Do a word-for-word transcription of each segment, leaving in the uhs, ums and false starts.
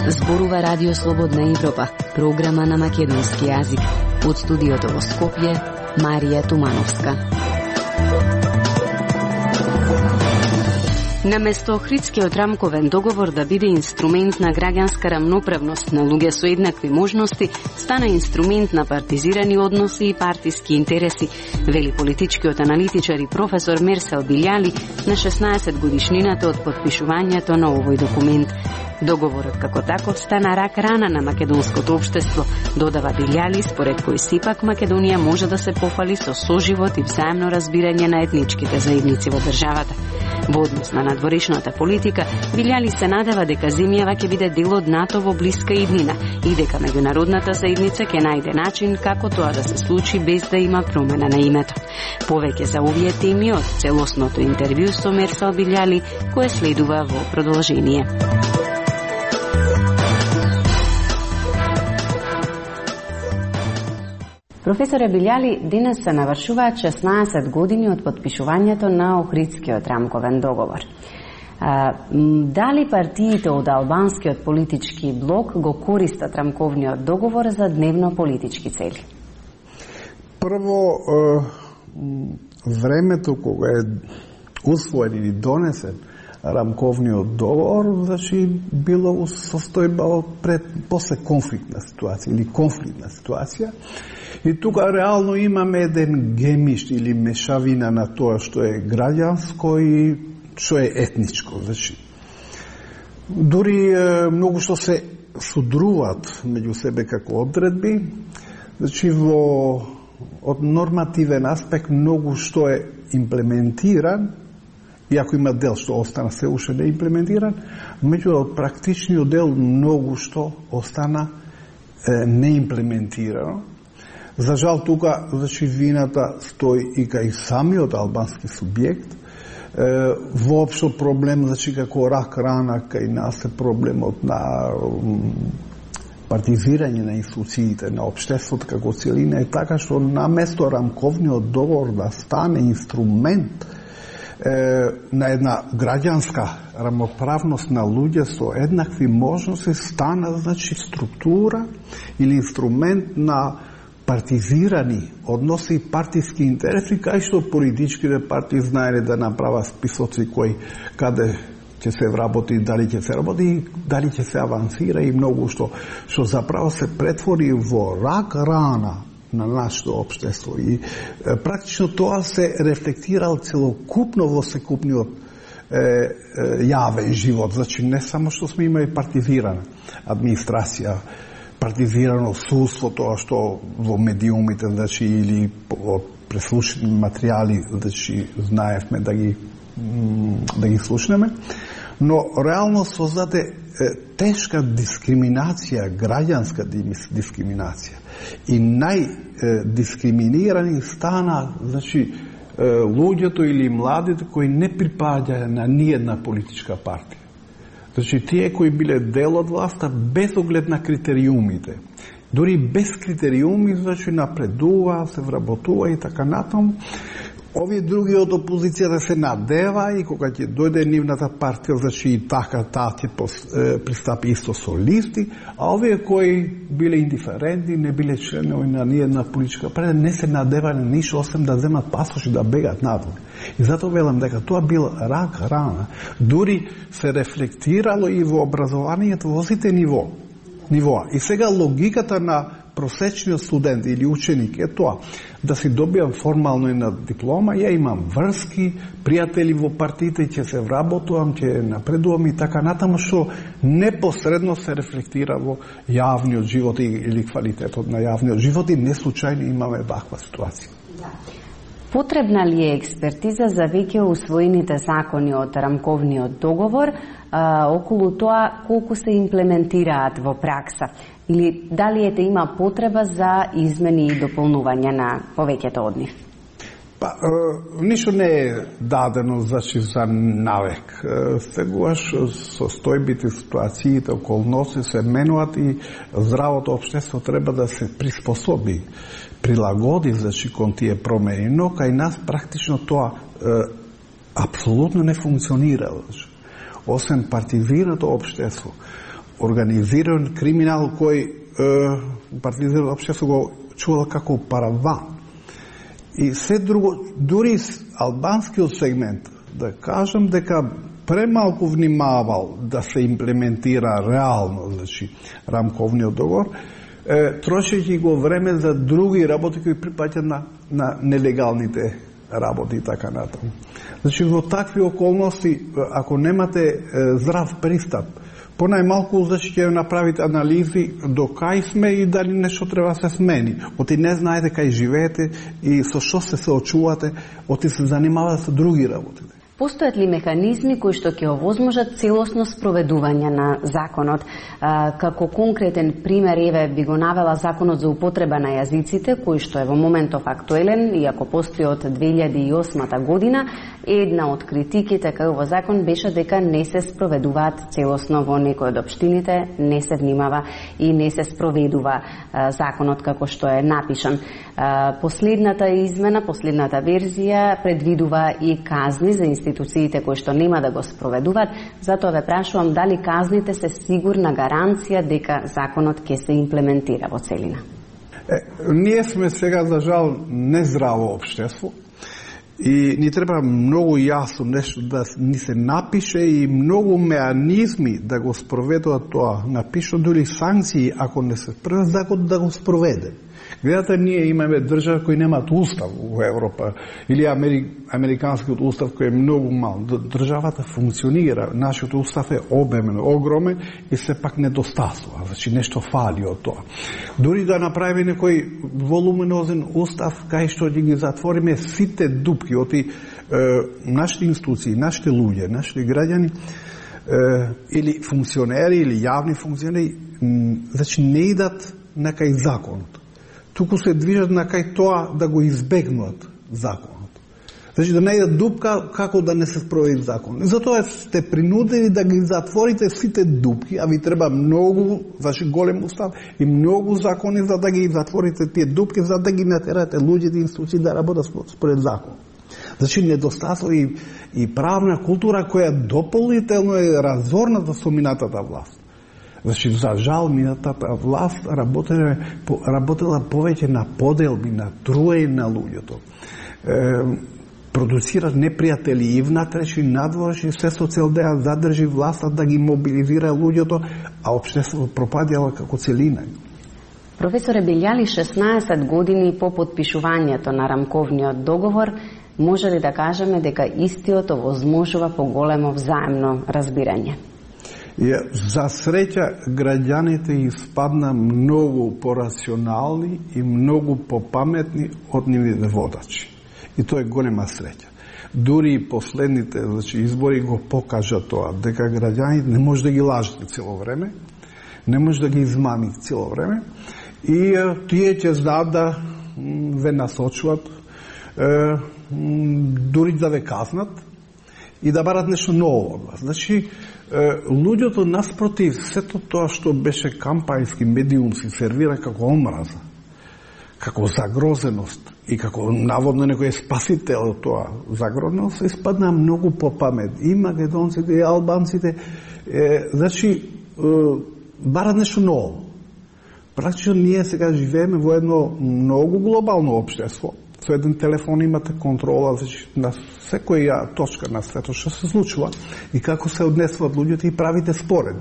Зборува Радио Слободна Европа, програма на македонски јазик. Од студиото во Скопје, Марија Тумановска. Наместо Охридскиот рамковен договор да биде инструмент на граѓанска рамноправност на луѓе со еднакви можности, стана инструмент на партизирани односи и партиски интереси, вели политичкиот аналитичар и професор Мерсел Билјали на шеснаесет годишнината од потпишувањето на овој документ. Договорот како таков стана рак рана на македонското општество, додава Билјали, според кој сепак Македонија може да се пофали со соживот и взаемно разбирање на етничките заедници во државата. Во однос на надворешната политика, Билјали се надева дека земјава ќе биде дел од НАТО во блиска иднина и дека меѓународната заедница ќе најде начин како тоа да се случи без да има промена на името. Повеќе за овие теми од целосното интервју со Мерсел Билјали, кое следува во продолжение. Професоре Билјали, денес се навршуваат шеснаесет години од потпишувањето на Охридскиот рамковен договор. А, дали партиите од албанскиот политички блок го користат рамковниот договор за дневно-политички цели? Прво, времето кога е усвоен или донесен рамковниот договор, значи било состојба пред после конфликтна ситуација или конфликтна ситуација. И тука реално имаме еден гемиш или мешавина на тоа што е граѓанско и што е етничко. Значи, дури е, многу што се судруваат меѓу себе како одредби, значи во од нормативен аспект многу што е имплементиран, иако има дел што остана се уште не имплементиран, меѓу од практичниот дел многу што остана е, неимплементирано. За жал, тука, значи, вината стои и кај самиот албански субјект. Е, воопшто проблем, значи, како рак рана кај нас е проблемот на партизирање на институциите, на општеството како целина, е така што наместо рамковниот договор да стане инструмент е, на една граѓанска рамноправност на луѓе со еднакви можности, стана, значи, структура или инструмент на партизирани односи и партиски интереси, кај што политичките партии знаеле да направат списоци кои каде ќе се вработи, дали ќе се работи, дали ќе се авансира и многу што што заправо се претвори во рак рана на нашето општество. И е, практично тоа се рефлектирал целокупно во секупниот е, е, јавен живот. Значи не само што сме имали партизирана администрација, партизирано судство, тоа што во медиумите, значи, или од преслушани материјали, значи, знаевме да ги да ги слушнеме, но реално создаде тешка дискриминација, граѓанска дискриминација. И најдискриминирани стана, значи, луѓето или младите кои не припаѓаја на ниедна политичка партија. Значи, тие кои биле дел од власта без оглед на критериумите. Дори без критериуми, значи, напредува, се вработува и така натаму. Овие други од опозицијата се надева и кога ќе дојде нивната партија, значи и така таа ќе пристапи исто со листи, а овие кои биле индиферентни, не биле членови на ниедна политичка партија, не се надева на ништо освен да земат пасош и да бегат надвор. И затоа велам дека тоа бил рак рана. Дури се рефлектирало и во образованието во сите ниво. Нивоа. И сега логиката на просечниот студент или ученик е тоа, да си добијам формално една диплома, ја имам врски, пријатели во партиите, ќе се вработувам, ќе напредувам и така натаму, што непосредно се рефлектира во јавниот живот или квалитетот на јавниот живот и неслучајно имаме ваква ситуација. Потребна ли е експертиза за веќе усвоените закони од рамковниот договор а, околу тоа колку се имплементираат во пракса? Или дали ете има потреба за измени и дополнување на повеќето од нив? Па, е, ништо не е дадено значи, за навек. Е, сегуваш состојбите, ситуациите, околности се менуваат и здравото општество треба да се приспособи, прилагоди значи, кон тие промени, но кај нас практично тоа е, апсолутно не функционира. Значи. Освен партизирано општество, организиран криминал кој е, партизирано општество го чувал како параван. И се друго, дури албанскиот сегмент, да кажам дека премалку внимавал да се имплементира реално, значи, рамковниот договор, е, трошејќи го време за други работи кои припаѓаат на, на нелегалните работи и така натаму. Значи, во такви околности, ако немате е, здрав пристап, понајмалку значи ќе направите анализи до кај сме и дали нешто треба да се смени. Оти не знаете кај живеете и со што се соочувате, оти се занимавате со други работи. Постојат ли механизми кои што ќе овозможат целосно спроведување на законот? А, како конкретен пример, еве, би го навела законот за употреба на јазиците, кој што е во моментов актуелен, иако постои од две илјади и осма година, една од критиките кај овој закон беше дека не се спроведуваат целосно во некои од општините, не се внимава и не се спроведува а, законот како што е напишан. А, последната измена, последната верзија предвидува и казни за институциите кои што нема да го спроведуваат, затоа ве прашувам дали казните се сигурна гаранција дека законот ќе се имплементира во целина. Е, ние сме сега за жал нездраво општество и ни треба многу јасно нешто да ни се напише и многу меанизми да го спроведуваат тоа. Напишано дури санкции ако не се спроведе, законот да го спроведе. Гледате, ние имаме држави кои немаат устав во Европа или Амери... американскиот устав кој е многу мал. Државата функционира, нашиот устав е обемен, огромен и сепак недостасува. Значи нешто фали од тоа. Дури да направиме некој волуминозен устав кај што ќе ги затвориме сите дупки од и нашите институции, нашите луѓе, нашите граѓани е, или функционери или јавни функционери, значи не идат на кај законот. Туку се движат на кај тоа да го избегнат законот. Значи да најдат дупка како да не се спроведи закон. Затоа сте принудени да ги затворите сите дупки, а ви треба многу, значи голем устав и многу закони за да ги затворите тие дупки, за да ги натерате луѓето и институции да работат според закон. Значи недостаток и, и правна култура која дополнително е разорната со минатата власт. Значи, за жал, минатата власт работела, работела повеќе на поделби, на труење на луѓето. Е, продуцира непријатели и внатрешни, и надворешни, се со цел да ја задржи власта, да ги мобилизира луѓето, а општеството пропадјало како целина. Професоре, билјали шеснаесет години по подпишувањето на рамковниот договор, може ли да кажеме дека истиот овозможува поголемо взаемно разбирање? И, за среќа, граѓаните испадна многу порационални и многу попаметни од нивните водачи. И тоа е голема среќа. Дури и последните значи, избори го покажа тоа, дека граѓаните не може да ги лажете цело време, не може да ги измамите цело време, и е, тие ќе знаат да ве насочуват, е, дури да ве казнат и да барат нешто ново од вас. Значи, луѓето наспротив сето тоа што беше кампањски медиумски сервира како омраза, како загрозеност и како наводно некој спасител од тоа загрозеност, испадна многу попамет. И македонците, и албанците, е, значи, е, барат нешто ново. Практично ние сега живееме во едно многу глобално општество. Со еден телефон имате контрола значи, на секоја точка на светот што се случува и како се однесуваат луѓето и правите според.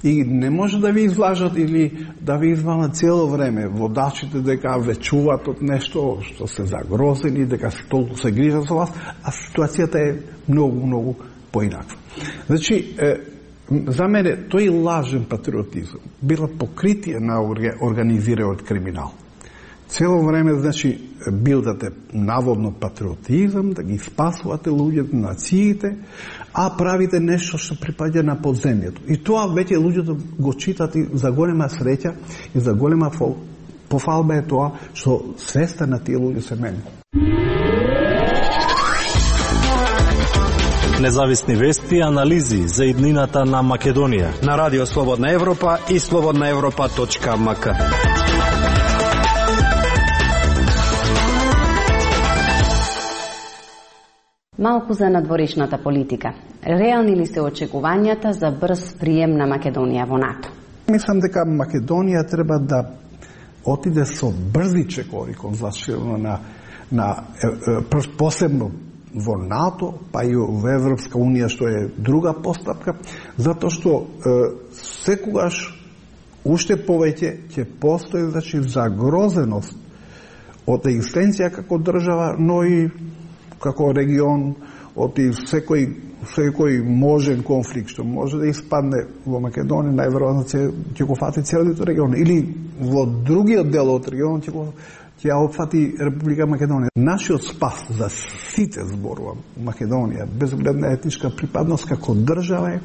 И не може да ви излажат или да ви измамат цело време водачите дека ве чуваат од нешто што се загрозени, дека се толку се грижат за вас, а ситуацијата е многу, многу поинаква. Значи, е, за мене тој лажен патриотизм била покритие на организираниот криминал. Цело време, значи, билдате наводно патриотизам, да ги спасувате луѓето, нациите, а правите нешто што припаѓа на подземјето. И тоа веќе луѓето го читат и за голема среќа и за голема пофалба е тоа што свеста на тие луѓе се менува. Независни вести и анализи за иднината на Македонија. На Радио Слободна Европа и слободна европа точка ем ка. Малку за надворешната политика. Реални ли се очекувањата за брз прием на Македонија во НАТО? Мислам дека Македонија треба да отиде со брзи чекори кон заширено на, на е, е, посебно во НАТО, па и во Европска Унија, што е друга постапка, затоа што е, секогаш уште повеќе ќе постои, значи, загрозеност од екзистенција како држава, но и како регион, од и секој, секој можен конфликт што може да испадне во Македонија, најверојатно ќе го фати целиот регион, или во другиот дел од регионот ќе го ќе ја опфати Република Македонија. Нашиот спас за сите, зборувам, Македонија, без оглед на етничка припадност како држава е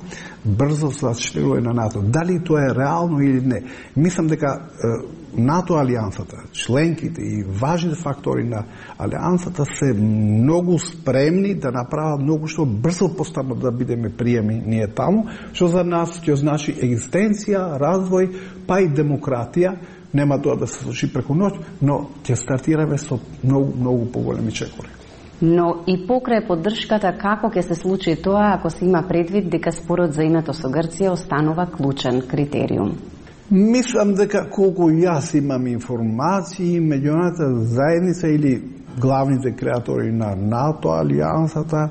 брзо зачленување на НАТО. Дали тоа е реално или не? Мислам дека е, НАТО алијансата, членките и важните фактори на алијансата се многу спремни да направат многу што брзо постапно да бидеме приеми ние таму, што за нас ќе значи екзистенција, развој, па и демократија. Нема тоа да се случи преку ноќ, но ќе стартираме со многу, многу поголеми чекори. Но и покрај поддршката, како ќе се случи тоа ако се има предвид дека спорот за името со Грција останува клучен критериум? Мислам дека колку јас имам информации, меѓународната заедница или главните креатори на НАТО, алијансата,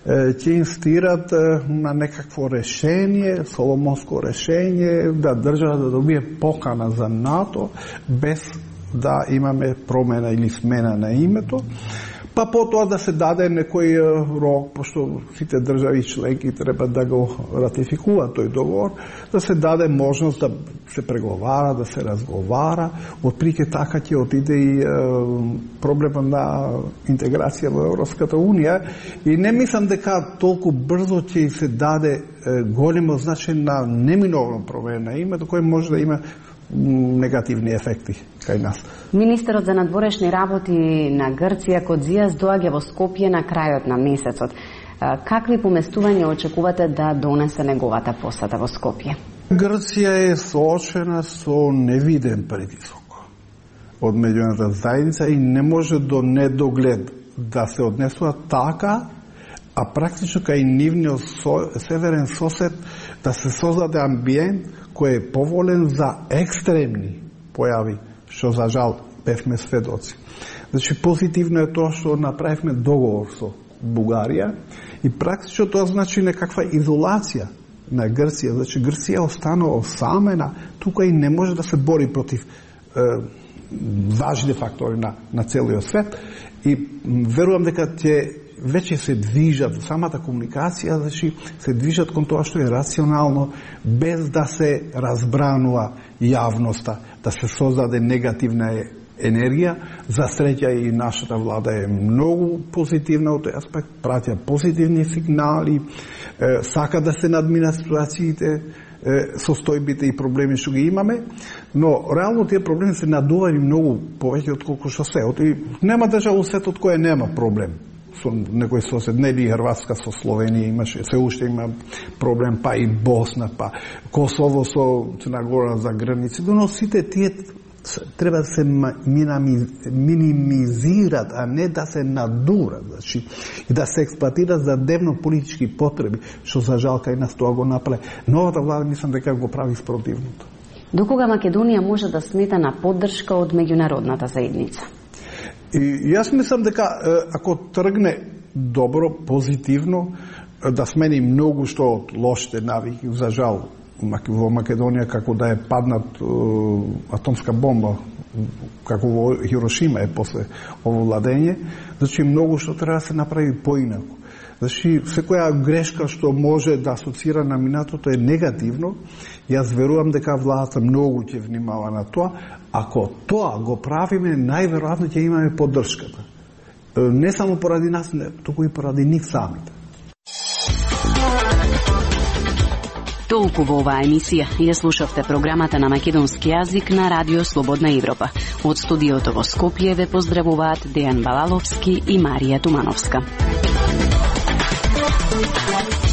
ќе инстират на некакво решение, соломонско решение, да држава да добие покана за НАТО, без да имаме промена или смена на името. Па потоа да се даде некој рок, пошто сите држави членки треба да го ратификуваат тој договор, да се даде можност да се преговара, да се разговара. Отприлike така ќе отиде и е, проблема на интеграција во Европската Унија. И не мислам дека толку брзо ќе се даде е, големо значење на неминовно промена на името, кој може да има негативни ефекти кај нас. Министерот за надворешни работи на Грција Кодзијас доаѓа во Скопје на крајот на месецот. Какви поместувања очекувате да донесе неговата посета во Скопје? Грција е соочена со невиден притисок од меѓународната заедница и не може до недоглед да се однесува така, а практично кај нивниот со, северен сосед да се создаде амбиент кој е поволен за екстремни појави, што за жал бевме сведоци. Значи, позитивно е тоа што направивме договор со Бугарија и практично тоа значи некаква изолација на Грција. Значи, Грција останува осамена, тука и не може да се бори против е, важни фактори на, на целиот свет и верувам дека ќе веќе се движат, самата комуникација, значи, се движат кон тоа што е рационално, без да се разбранува јавноста, да се создаде негативна енергија. За среќа и нашата влада е многу позитивна од тој аспект, пратја позитивни сигнали, е, сака да се надминат ситуациите, состојбите и проблеми што ги имаме, но реално тие проблеми се надувани многу повеќе од колку што се. И нема држава во светот која нема проблем со некој сосед, нели Хрватска со Словенија имаше, се уште има проблем, па и Босна, па Косово со Црна Гора за граници, но сите тие треба да се минимизират, а не да се надурат, значи, и да се експлоатират за дневно-политички потреби, што за жал кај нас тоа го направи. Новата влада мислам дека го прави спротивното. Докога Македонија може да смета на поддршка од меѓународната заедница? И јас мислам дека ако тргне добро, позитивно, да смени многу што од лошите навики, за жал во Македонија, како да е паднат атомска бомба, како во Хирошима е после ово владење, значи многу што треба да се направи поинаку. Значи, секоја грешка што може да асоцира на минатото е негативно. Јас верувам дека владата многу ќе внимава на тоа. Ако тоа го правиме, најверојатно ќе имаме поддршката. Не само поради нас, туку и поради нив самите. Толку во оваа емисија. Ја слушавте програмата на македонски јазик на Радио Слободна Европа. Од студиото во Скопје ве поздравуваат Дејан Балаловски и Марија Тумановска. Thank you.